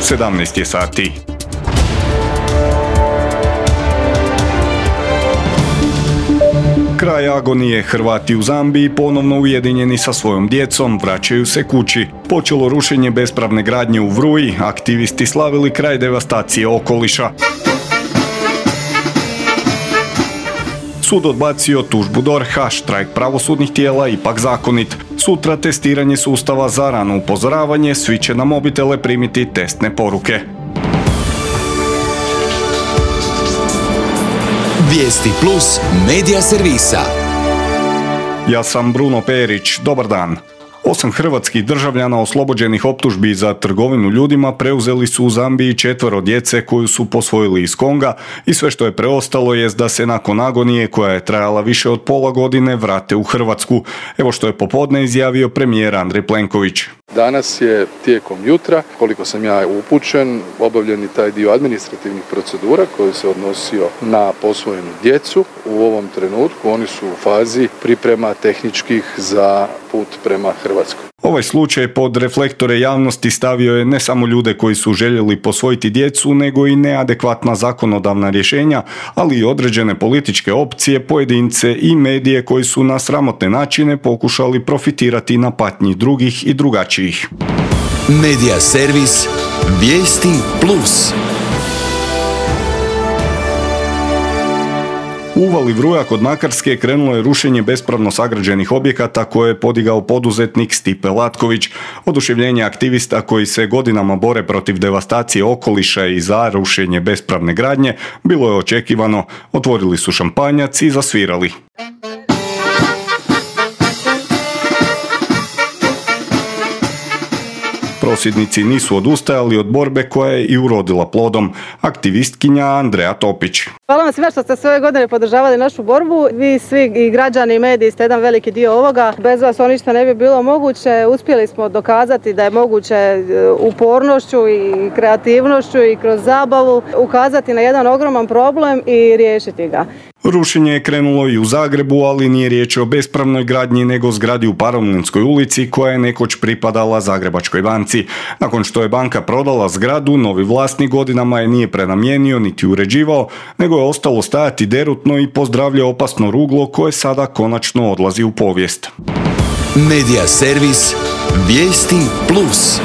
17 je sati. Kraj agonije. Hrvati u Zambiji ponovno ujedinjeni sa svojom djecom vraćaju se kući. Počelo rušenje bespravne gradnje u Vruji, aktivisti slavili kraj devastacije okoliša. Sud odbacio tužbu DORH-a, štrajk pravosudnih tijela ipak zakonit. Sutra testiranje sustava za rano upozoravanje, svi će na mobitele primiti testne poruke. Vijesti Plus medija servisa. Ja sam Bruno Perić, dobar dan. 8 hrvatskih državljana oslobođenih optužbi za trgovinu ljudima preuzeli su u Zambiji 4 djece koju su posvojili iz Konga i sve što je preostalo jest da se nakon agonije koja je trajala više od pola godine vrate u Hrvatsku. Evo što je popodne izjavio premijer Andrej Plenković. Danas je tijekom jutra, koliko sam ja upućen, obavljen je taj dio administrativnih procedura koji se odnosio na posvojenu djecu. U ovom trenutku oni su u fazi priprema tehničkih za put prema Hrvatskoj. Ovaj slučaj pod reflektore javnosti stavio je ne samo ljude koji su željeli posvojiti djecu, nego i neadekvatna zakonodavna rješenja, ali i određene političke opcije, pojedince i medije koji su na sramotne načine pokušali profitirati na patnji drugih i drugačijih. Medija servis Vijesti Plus. U uvali Vruja kod Makarske krenulo je rušenje bespravno sagrađenih objekata koje je podigao poduzetnik Stipe Latković. Oduševljenje aktivista koji se godinama bore protiv devastacije okoliša i za rušenje bespravne gradnje bilo je očekivano. Otvorili su šampanjac i zasvirali. Prosvjednici nisu odustajali od borbe koja je i urodila plodom. Aktivistkinja Andreja Topić. Hvala vam svima što ste sve ove godine podržavali našu borbu. Vi svi i građani i mediji ste jedan veliki dio ovoga. Bez vas to ništa ne bi bilo moguće. Uspjeli smo dokazati da je moguće upornošću i kreativnošću i kroz zabavu ukazati na jedan ogroman problem i riješiti ga. Rušenje je krenulo i u Zagrebu, ali nije riječ o bespravnoj gradnji nego zgradi u Paromlinskoj ulici koja je nekoć pripadala Zagrebačkoj banci. Nakon što je banka prodala zgradu, novi vlasnik godinama je nije prenamijenio niti uređivao, nego je ostalo stajati derutno i pozdravlja opasno ruglo koje sada konačno odlazi u povijest. Medija servis Vijesti Plus.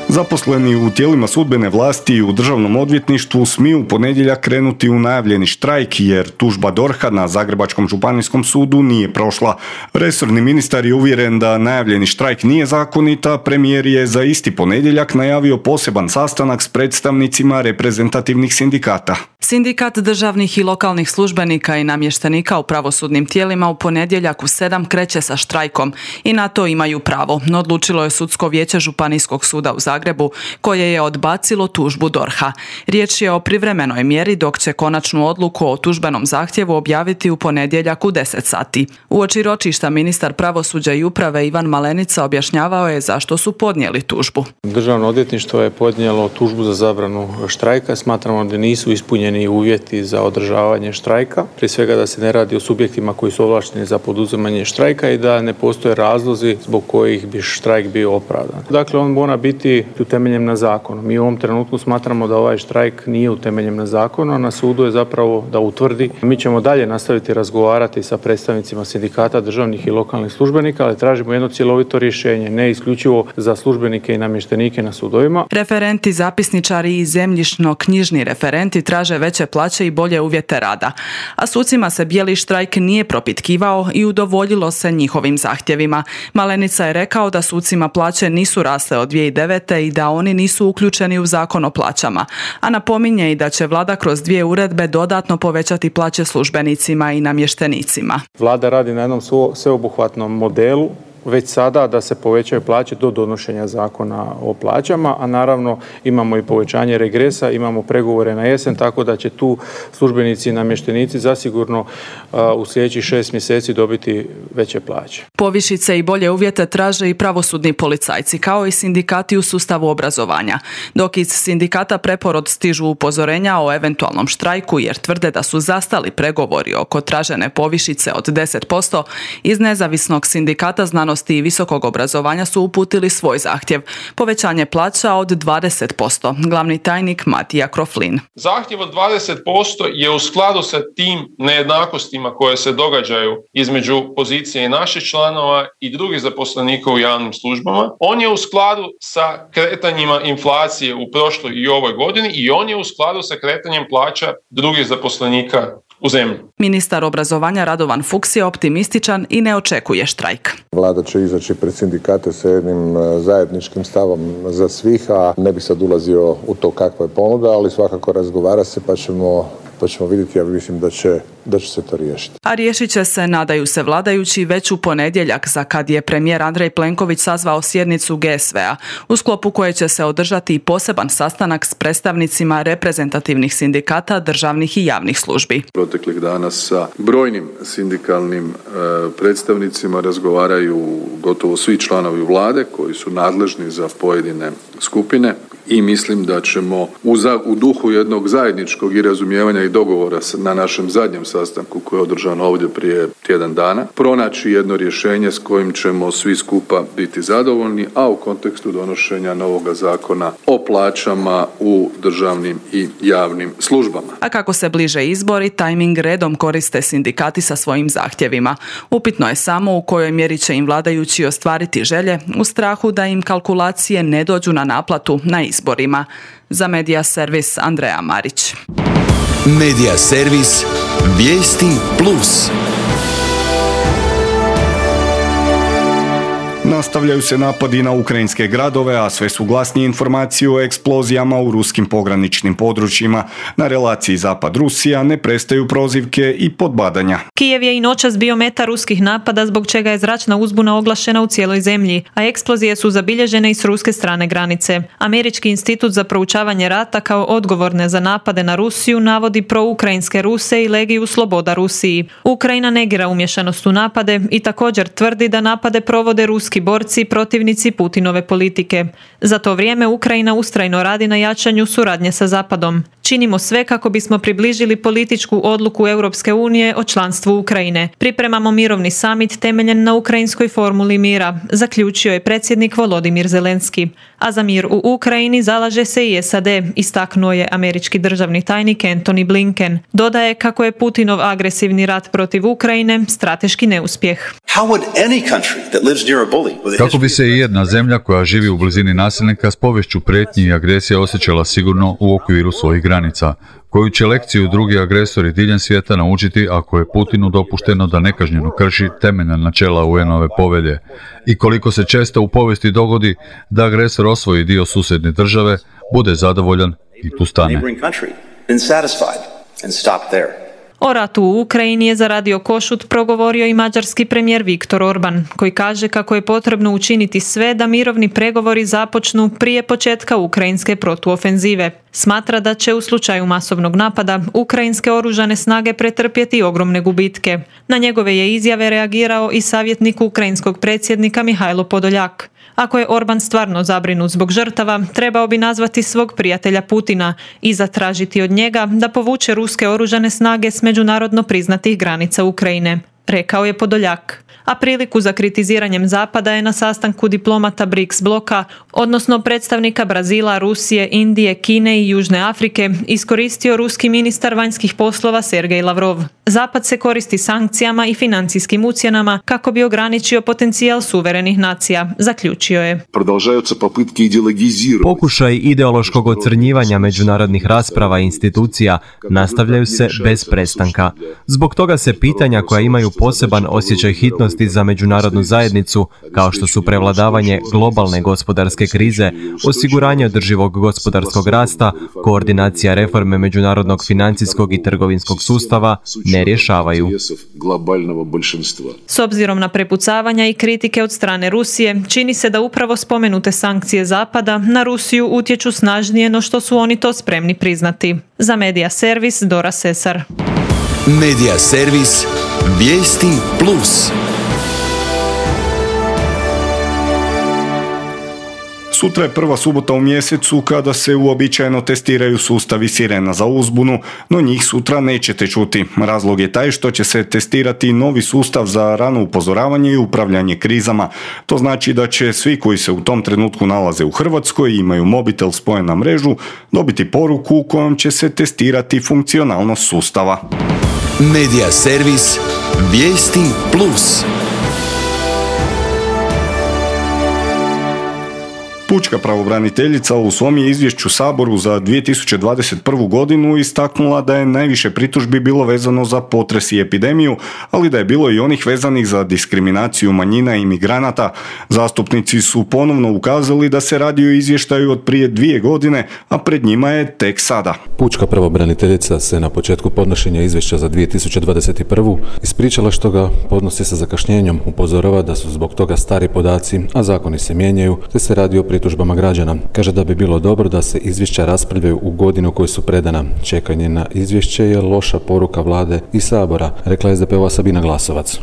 Zaposleni u tijelima sudbene vlasti i u državnom odvjetništvu smiju u ponedjeljak krenuti u najavljeni štrajk jer tužba DORH-a na Zagrebačkom županijskom sudu nije prošla. Resorni ministar je uvjeren da najavljeni štrajk nije zakonit, a premijer je za isti ponedjeljak najavio poseban sastanak s predstavnicima reprezentativnih sindikata. Sindikat državnih i lokalnih službenika i namještenika u pravosudnim tijelima u ponedjeljak u 7 kreće sa štrajkom i na to imaju pravo, no odlučilo je Sudsko vijeće Županijskog suda u Zagrebu koje je odbacilo tužbu DORH-a. Riječ je o privremenoj mjeri dok će konačnu odluku o tužbenom zahtjevu objaviti u ponedjeljak u 10 sati. Uoči ročišta ministar pravosuđa i uprave Ivan Malenica objašnjavao je zašto su podnijeli tužbu. Državno odvjetništvo je podnijelo tužbu za zabranu štrajka. Smatramo da nisu ispunjeni uvjeti za održavanje štrajka. Prije svega da se ne radi o subjektima koji su ovlašteni za poduzimanje štrajka i da ne postoje razlozi zbog kojih bi štrajk bio opravdan. Dakle, on mora biti utemeljen na zakonu. Mi u ovom trenutku smatramo da ovaj štrajk nije utemeljen na zakonu, a na sudu je zapravo da utvrdi. Mi ćemo dalje nastaviti razgovarati sa predstavnicima sindikata državnih i lokalnih službenika, ali tražimo jedno cjelovito rješenje, ne isključivo za službenike i namještenike na sudovima. Referenti, zapisničari i zemljišno-knjižni referenti traže veće plaće i bolje uvjete rada, a sucima se bijeli štrajk nije propitkivao i udovoljilo se njihovim zahtjevima. Malenica je rekao da sucima plaće nisu rasle od 2009. i da oni nisu uključeni u zakon o plaćama, a napominje i da će vlada kroz 2 uredbe dodatno povećati plaće službenicima i namještenicima. Vlada radi na jednom sveobuhvatnom modelu već sada da se povećaju plaće do donošenja zakona o plaćama, a naravno imamo i povećanje regresa, imamo pregovore na jesen, tako da će tu službenici i namještenici zasigurno u sljedećih 6 mjeseci dobiti veće plaće. Povišice i bolje uvjete traže i pravosudni policajci, kao i sindikati u sustavu obrazovanja. Dok iz sindikata Preporod stižu upozorenja o eventualnom štrajku jer tvrde da su zastali pregovori oko tražene povišice od 10%, iz nezavisnog sindikata znanosti znanosti i visokog obrazovanja su uputili svoj zahtjev. Povećanje plaća od 20%. Glavni tajnik Matija Kroflin. Zahtjev od 20% je u skladu sa tim nejednakostima koje se događaju između pozicije i naših članova i drugih zaposlenika u javnim službama. On je u skladu sa kretanjima inflacije u prošloj i ovoj godini i on je u skladu sa kretanjem plaća drugih zaposlenika u zemlji. Ministar obrazovanja Radovan Fuchs je optimističan i ne očekuje štrajk. Vlada će izaći pred sindikate sa jednim zajedničkim stavom za svih, a ne bi sad ulazio u to kakva je ponuda, ali svakako razgovara se pa ćemo vidjeti, ja mislim da će se to riješiti. A riješit će se, nadaju se vladajući, već u ponedjeljak, za kad je premijer Andrej Plenković sazvao sjednicu GSV-a, u sklopu koje će se održati i poseban sastanak s predstavnicima reprezentativnih sindikata državnih i javnih službi. Proteklih dana sa brojnim sindikalnim predstavnicima razgovaraju gotovo svi članovi vlade koji su nadležni za pojedine skupine. I mislim da ćemo u duhu jednog zajedničkog i razumijevanja i dogovora na našem zadnjem sastanku koji je održan ovdje prije tjedan dana pronaći jedno rješenje s kojim ćemo svi skupa biti zadovoljni, a u kontekstu donošenja novoga zakona o plaćama u državnim i javnim službama. A kako se bliže izbori, tajming redom koriste sindikati sa svojim zahtjevima. Upitno je samo u kojoj mjeri će im vladajući ostvariti želje u strahu da im kalkulacije ne dođu na naplatu na izborima. Za Medija servis Andreja Marić. Medija servis Vijesti Plus. Nastavljaju se napadi na ukrajinske gradove, a sve su glasnije informacije o eksplozijama u ruskim pograničnim područjima. Na relaciji Zapad-Rusija ne prestaju prozivke i podbadanja. Kijev je i noćas bio meta ruskih napada, zbog čega je zračna uzbuna oglašena u cijeloj zemlji, a eksplozije su zabilježene i s ruske strane granice. Američki institut za proučavanje rata kao odgovorne za napade na Rusiju navodi proukrajinske Ruse i Legiju Sloboda Rusiji. Ukrajina negira umješanost u napade i također tvrdi da napade provode ruski borci i protivnici Putinove politike. Za to vrijeme Ukrajina ustrajno radi na jačanju suradnje sa Zapadom. Činimo sve kako bismo približili političku odluku Europske unije o članstvu Ukrajine. Pripremamo mirovni samit temeljen na ukrajinskoj formuli mira, zaključio je predsjednik Volodimir Zelenski. A za mir u Ukrajini zalaže se i SAD, istaknuo je američki državni tajnik Antony Blinken. Dodaje kako je Putinov agresivni rat protiv Ukrajine strateški neuspjeh. Kako bi se i jedna zemlja koja živi u blizini nasilnika s poviješću prijetnji i agresije osjećala sigurno u okviru svojih granica, koju će lekciju drugi agresori diljem svijeta naučiti ako je Putinu dopušteno da nekažnjeno krši temeljna načela UN-ove povelje i koliko se često u povijesti dogodi da agresor osvoji dio susjedne države, bude zadovoljan i tu stane. O ratu u Ukrajini je za Radio Košut progovorio i mađarski premijer Viktor Orban, koji kaže kako je potrebno učiniti sve da mirovni pregovori započnu prije početka ukrajinske protuofenzive. Smatra da će u slučaju masovnog napada ukrajinske oružane snage pretrpjeti ogromne gubitke. Na njegove je izjave reagirao i savjetnik ukrajinskog predsjednika Mihajlo Podoljak. Ako je Orban stvarno zabrinut zbog žrtava, trebao bi nazvati svog prijatelja Putina i zatražiti od njega da povuče ruske oružane snage s međunarodno priznatih granica Ukrajine, rekao je Podoljak. A priliku za kritiziranjem Zapada je na sastanku diplomata BRICS bloka, odnosno predstavnika Brazila, Rusije, Indije, Kine i Južne Afrike, iskoristio ruski ministar vanjskih poslova Sergej Lavrov. Zapad se koristi sankcijama i financijskim ucjenama kako bi ograničio potencijal suverenih nacija, zaključio je. Pokušaj ideološkog ocrnjivanja međunarodnih rasprava i institucija nastavljaju se bez prestanka. Zbog toga se pitanja koja imaju poseban osjećaj hitnosti za međunarodnu zajednicu, kao što su prevladavanje globalne gospodarske krize, osiguranje održivog gospodarskog rasta, koordinacija reforme međunarodnog financijskog i trgovinskog sustava, ne rješavaju. S obzirom na prepucavanja i kritike od strane Rusije, čini se da upravo spomenute sankcije Zapada na Rusiju utječu snažnije no što su oni to spremni priznati. Za Medija servis Dora Sesar. Medija servis Vijesti Plus. Sutra je prva subota u mjesecu kada se uobičajeno testiraju sustavi sirena za uzbunu, no njih sutra nećete čuti. Razlog je taj što će se testirati novi sustav za rano upozoravanje i upravljanje krizama. To znači da će svi koji se u tom trenutku nalaze u Hrvatskoj i imaju mobitel spojen na mrežu dobiti poruku u kojom će se testirati funkcionalnost sustava. Medija servis Vijesti Plus. Pučka pravobraniteljica u svom je izvješću Saboru za 2021. godinu istaknula da je najviše pritužbi bilo vezano za potres i epidemiju, ali da je bilo i onih vezanih za diskriminaciju manjina i migranata. Zastupnici su ponovno ukazali da se radi o izvještaju od prije 2 godine, a pred njima je tek sada. Pučka pravobraniteljica se na početku podnošenja izvješća za 2021. ispričala što ga podnosi sa zakašnjenjem, upozorava da su zbog toga stari podaci, a zakoni se mijenjaju, te se radi o pritužbama građana. Kaže da bi bilo dobro da se izvješća raspravljaju u godinu u kojoj su predana. Čekanje na izvješće je loša poruka vlade i Sabora, rekla je SDP-ova Sabina Glasovac.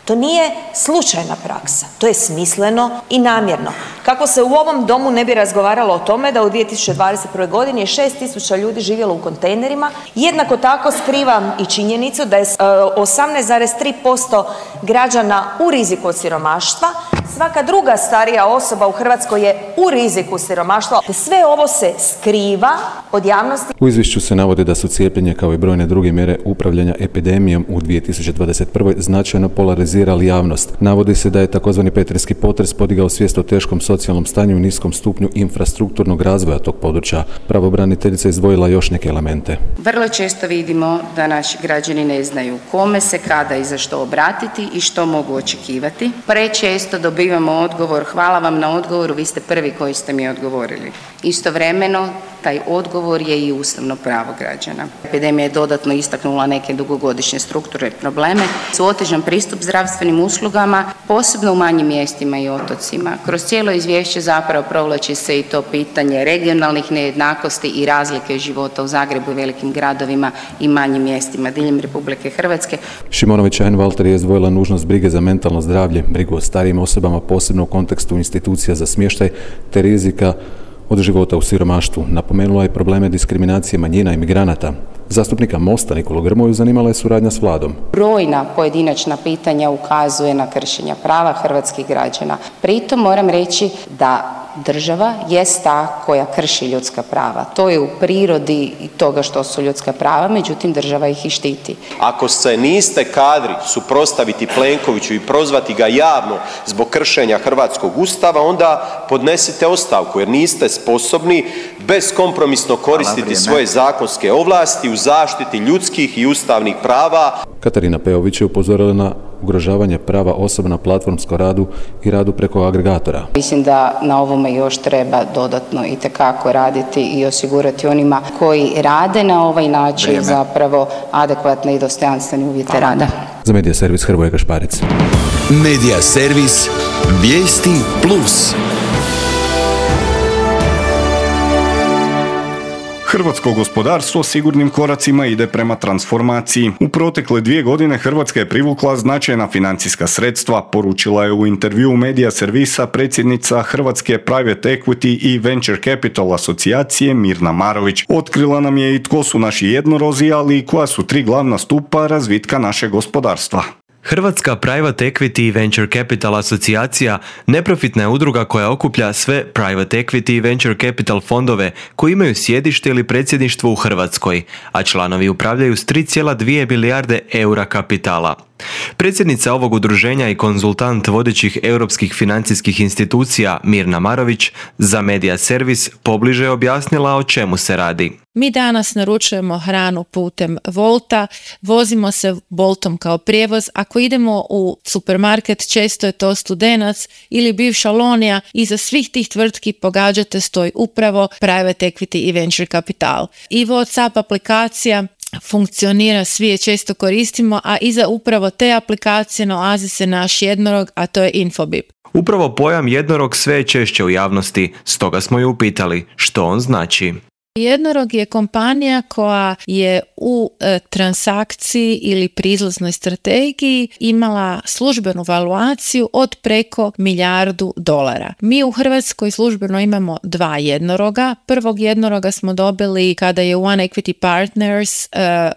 To nije slučajna praksa, to je smisleno i namjerno. Kako se u ovom domu ne bi razgovaralo o tome da u 2021. godini je 6.000 ljudi živjelo u kontejnerima, jednako tako skrivam i činjenicu da je 18,3% građana u riziku od siromaštva, svaka druga starija osoba u Hrvatskoj je u riziku siromaštva. Sve ovo se skriva od javnosti. U izvješću se navode da su cijepljenje kao i brojne druge mjere upravljanja epidemijom u 2021. značajno polarizirali javnost. Navodi se da je takozvani petrinjski potres podigao svijest o teškom socijalnom stanju i niskom stupnju infrastrukturnog razvoja tog područja. Pravobraniteljica izdvojila još neke elemente. Vrlo često vidimo da naši građani ne znaju kome se, kada i za što obratiti i što mogu očekivati. Prečesto dobivamo odgovor, hvala vam na odgovoru, vi ste prvi koji ste mi odgovorili. Istovremeno, taj odgovor je i ustavno pravo građana. Epidemija je dodatno istaknula neke dugogodišnje strukturne probleme, su otežan pristup zdravstvenim uslugama, posebno u manjim mjestima i otocima. Kroz cijelo izvješće zapravo provlači se i to pitanje regionalnih nejednakosti i razlike života u Zagrebu i velikim gradovima i manjim mjestima diljem Republike Hrvatske. Šimonović Einwalter je izdvojila nužnost brige za mentalno zdravlje, brigu o starijim osobama, posebno u kontekstu institucija za smještaj, te rizika od života u siromaštvu. Napomenula je probleme diskriminacije manjina i migranata. Zastupnika Mosta Nikolu Grmoju zanimala je suradnja s vladom. Brojna pojedinačna pitanja ukazuje na kršenja prava hrvatskih građana. Pritom moram reći da država jest ta koja krši ljudska prava. To je u prirodi toga što su ljudska prava, međutim država ih i štiti. Ako se niste kadri suprotstaviti Plenkoviću i prozvati ga javno zbog kršenja hrvatskog ustava, onda podnesite ostavku jer niste sposobni beskompromisno koristiti svoje zakonske ovlasti u zaštiti ljudskih i ustavnih prava. Katarina Peović je upozorila na ugrožavanje prava osoba na platformskom radu i radu preko agregatora. Mislim da na ovome još treba dodatno itekako raditi i osigurati onima koji rade na ovaj način zapravo adekvatne i dostojanstvene uvjete rada. Za Medija servis Hrvoje Gašparić. Medija servis Vijesti Plus. Hrvatsko gospodarstvo sigurnim koracima ide prema transformaciji. U protekle 2 godine Hrvatska je privukla značajna financijska sredstva, poručila je u intervjuu Medija servisa predsjednica Hrvatske Private Equity i Venture Capital asocijacije Mirna Marović. Otkrila nam je i tko su naši jednorozi, ali i koja su 3 glavna stupa razvitka našeg gospodarstva. Hrvatska Private Equity i Venture Capital asocijacija neprofitna je udruga koja okuplja sve Private Equity i Venture Capital fondove koji imaju sjedište ili predsjedništvo u Hrvatskoj, a članovi upravljaju s 3,2 milijarde eura kapitala. Predsjednica ovog udruženja i konzultant vodećih europskih financijskih institucija Mirna Marović za Medija servis pobliže je objasnila o čemu se radi. Mi danas naručujemo hranu putem Wolta, vozimo se Boltom kao prijevoz. Ako idemo u supermarket, često je to Studenac ili bivša Lonija. Iza svih tih tvrtki pogađate stoji upravo Private Equity i Venture Capital. I WhatsApp aplikacija funkcionira, svi je često koristimo, a iza upravo te aplikacije nalazi se naš jednorog, a to je Infobip. Upravo pojam jednorog sve je češće u javnosti, stoga smo ju upitali što on znači. Jednorog je kompanija koja je u transakciji ili pri izlaznoj strategiji imala službenu valuaciju od preko $1 milijardu. Mi u Hrvatskoj službeno imamo 2 jednoroga. Prvog jednoroga smo dobili kada je One Equity Partners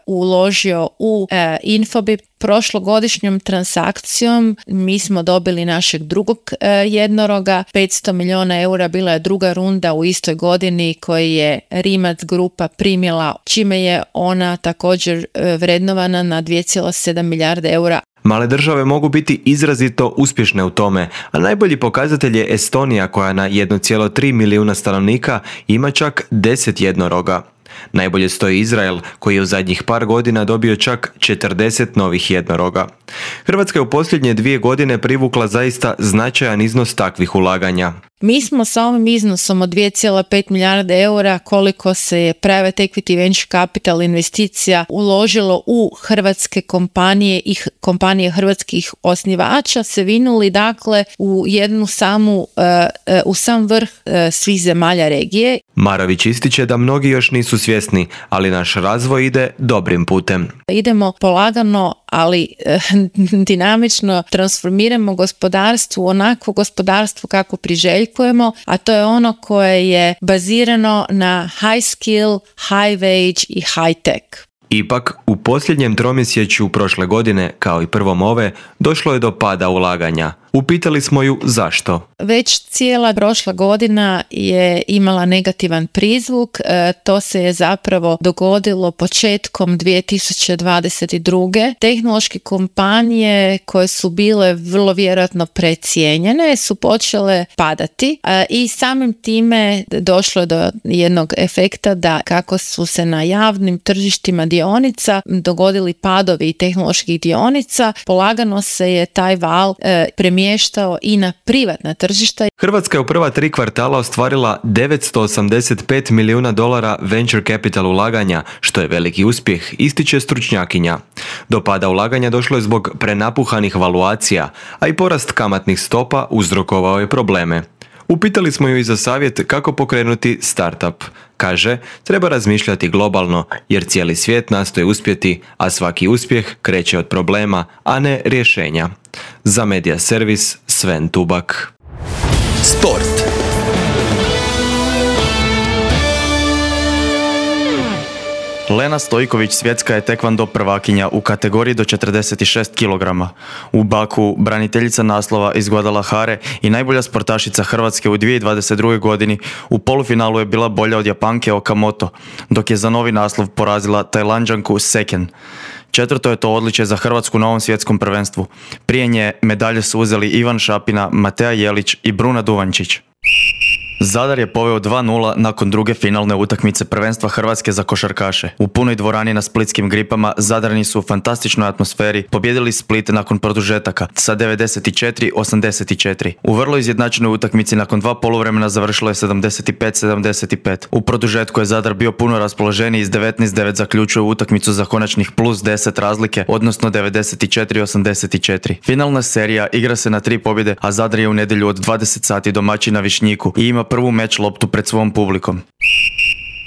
uložio u Infobip. Prošlogodišnjom transakcijom mi smo dobili našeg drugog jednoroga, 500 milijuna eura, bila je druga runda u istoj godini koju je Rimac grupa primila, čime je ona također vrednovana na 2,7 milijarde eura. Male države mogu biti izrazito uspješne u tome, a najbolji pokazatelj je Estonija koja na 1,3 milijuna stanovnika ima čak 10 jednoroga. Najbolje stoji Izrael, koji je u zadnjih par godina dobio čak 40 novih jednoroga. Hrvatska je u posljednje 2 godine privukla zaista značajan iznos takvih ulaganja. Mi smo sa ovim iznosom od 2,5 milijarde eura, koliko se je private equity venture capital investicija uložilo u hrvatske kompanije i kompanije hrvatskih osnivača, se vinuli dakle u jednu samu, u sam vrh svih zemalja regije. Marović ističe da mnogi još nisu svjesni, ali naš razvoj ide dobrim putem. Idemo polagano, ali dinamično transformiramo gospodarstvo u onako gospodarstvo kako priželjkujemo, a to je ono koje je bazirano na high skill, high wage i high tech. Ipak, u posljednjem tromjesečju prošle godine, kao i prvom ove, došlo je do pada ulaganja. Upitali smo ju zašto. Već cijela prošla godina je imala negativan prizvuk. To se je zapravo dogodilo početkom 2022. Tehnološke kompanije koje su bile vrlo vjerojatno precijenjene su počele padati i samim time došlo je do jednog efekta da kako su se na javnim tržištima dionica dogodili padovi tehnoloških dionica, polagano se je taj val premještao i na privatna tržišta. Hrvatska je u prva 3 kvartala ostvarila $985 milijuna venture capital ulaganja, što je veliki uspjeh, ističe stručnjakinja. Do pada ulaganja došlo je zbog prenapuhanih valuacija, a i porast kamatnih stopa uzrokovao je probleme. Upitali smo ju i za savjet kako pokrenuti startup. Kaže, treba razmišljati globalno, jer cijeli svijet nastoji uspjeti, a svaki uspjeh kreće od problema, a ne rješenja. Za Media Servis, Sven Tubak. Sport. Lena Stojković svjetska je tekvando prvakinja u kategoriji do 46 kg. U Baku braniteljica naslova iz Guadalajare i najbolja sportašica Hrvatske u 2022. godini u polufinalu je bila bolja od Japanke Okamoto, dok je za novi naslov porazila Tajlanđanku Seken. 4. je to odličje za Hrvatsku na ovom svjetskom prvenstvu. Prije nje medalje su uzeli Ivan Šapina, Matea Jelić i Bruna Duvančić. Zadar je poveo 2-0 nakon druge finalne utakmice prvenstva Hrvatske za košarkaše. U punoj dvorani na splitskim Gripama Zadrani su u fantastičnoj atmosferi pobjedili Split nakon produžetaka sa 94-84. U vrlo izjednačenoj utakmici nakon 2 poluvremena završilo je 75-75. U produžetku je Zadar bio puno raspoloženiji, iz 19-9 zaključuje utakmicu za konačnih plus 10 razlike, odnosno 94-84. Finalna serija igra se na 3 pobjede, a Zadar je u nedjelju od 20 sati domaćin na Višnjiku i ima prvu meč loptu pred svom publikom.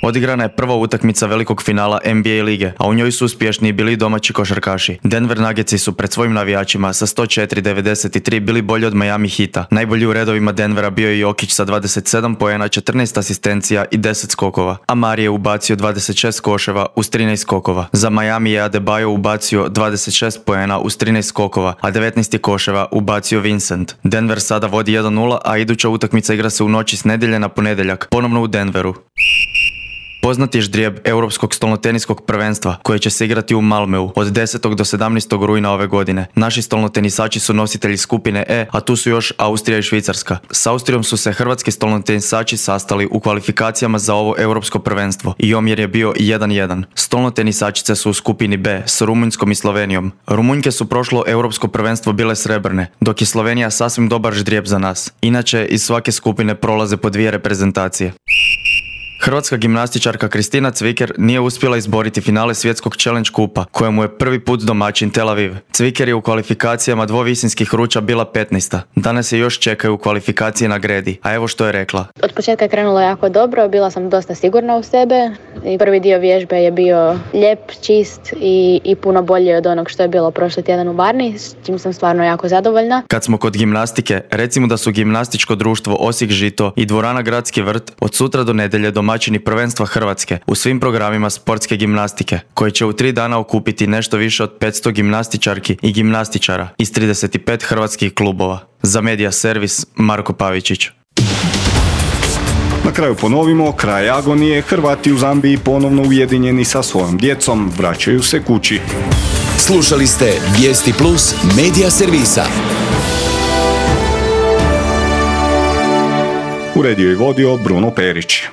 Odigrana je prva utakmica velikog finala NBA lige, a u njoj su uspješni bili domaći košarkaši. Denver Nuggetsi su pred svojim navijačima sa 104-93 bili bolji od Miami Heata. Najbolji u redovima Denvera bio je Jokić sa 27 poena, 14 asistencija i 10 skokova. Amari je ubacio 26 koševa uz 13 skokova. Za Miami je Adebayo ubacio 26 poena uz 13 skokova, a 19 koševa ubacio Vincent. Denver sada vodi 1-0, a iduća utakmica igra se u noći s nedjelje na ponedjeljak, ponovno u Denveru. Poznati ždrijeb Europskog stolnoteniskog prvenstva koje će se igrati u Malmeu od 10. do 17. rujna ove godine. Naši stolnotenisači su nositelji skupine E, a tu su još Austrija i Švicarska. S Austrijom su se hrvatski stolnotenisači sastali u kvalifikacijama za ovo europsko prvenstvo i omjer je bio 1-1. Stolnotenisačice su u skupini B s Rumunjskom i Slovenijom. Rumunjke su prošlo europsko prvenstvo bile srebrne, dok je Slovenija sasvim dobar ždrijeb za nas. Inače, iz svake skupine prolaze po 2 reprezentacije. Hrvatska gimnastičarka Kristina Cviker nije uspjela izboriti finale svjetskog Challenge kupa, kojemu je prvi put domaćin Tel Aviv. Cviker je u kvalifikacijama dvovisinskih ruča bila 15. Danas je još čekaju kvalifikacije na gredi, a evo što je rekla. Od početka je krenulo jako dobro, bila sam dosta sigurna u sebe i prvi dio vježbe je bio lijep, čist i puno bolji od onog što je bilo prošli tjedan u Varni, s čim sam stvarno jako zadovoljna. Kad smo kod gimnastike, recimo da su Gimnastičko društvo Osijek Žito i dvorana Gradski vrt od sutra do nedjelje domaćini prvenstva Hrvatske u svim programima sportske gimnastike, koji će u 3 dana okupiti nešto više od 500 gimnastičarki i gimnastičara iz 35 hrvatskih klubova. Za Medija servis Marko Pavičić. Na kraju ponovimo, kraj agonije, Hrvati u Zambiji ponovno ujedinjeni sa svojom djecom vraćaju se kući. Slušali ste Vijesti Plus Medija servisa. Uredio i vodio Bruno Perić.